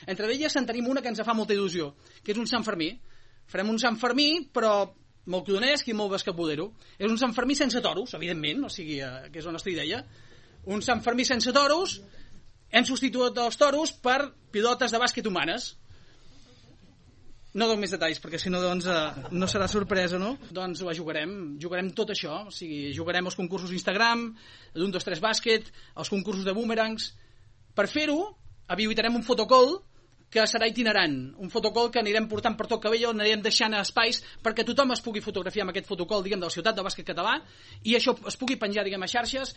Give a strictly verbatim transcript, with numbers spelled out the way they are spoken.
Entre elles en tenim una que ens fa molta il·lusió, que és un Sant Fermí. Farem un Sant Fermí, però molt codonesc i molt bascapodero. És un Sant Fermí sense toros, evidentment, o sigui, eh, que és la nostra idea. Un Sant Fermí sense toros, hem substituït els toros per pilotes de bàsquet humanes. No dono més detalls, perquè si no, doncs, eh, no serà sorpresa, no? Doncs la jugarem, jugarem tot això, o sigui, jugarem els concursos Instagram, l'un, dos, tres bàsquet, els concursos de boomerangs. Per fer-ho, habilitarem un fotocall que serà itinerant, un fotocall que anirem portant per tot Cabello, anirem deixant espais perquè tothom es pugui fotografiar amb aquest fotocall, diguem, de la ciutat del bàsquet català, i això es pugui penjar, diguem, a xarxes.